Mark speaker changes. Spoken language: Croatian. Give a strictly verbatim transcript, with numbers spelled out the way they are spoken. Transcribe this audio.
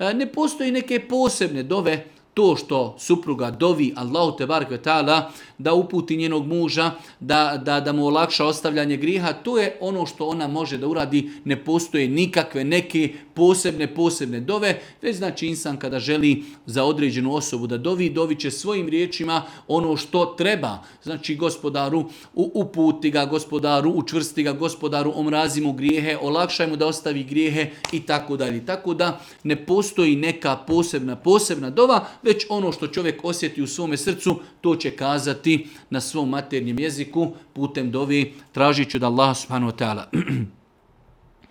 Speaker 1: Ne postoji neke posebne dove, to što supruga dovi Allahu tebareke ve taala da uputi njenog muža, da, da, da mu olakša ostavljanje grijeha, to je ono što ona može da uradi. Ne postoje nikakve neke posebne, posebne dove, već znači insan kada želi za određenu osobu da dovi, dovi će svojim riječima ono što treba. Znači gospodaru uputi ga, gospodaru učvrsti ga, gospodaru omrazi mu grijehe, olakšaj mu da ostavi grijehe i tako dalje. Tako da ne postoji neka posebna, posebna dova, već ono što čovjek osjeti u svome srcu, to će kazati na svom maternjem jeziku putem dovi, tražit ću da Allah subhanahu wa ta'ala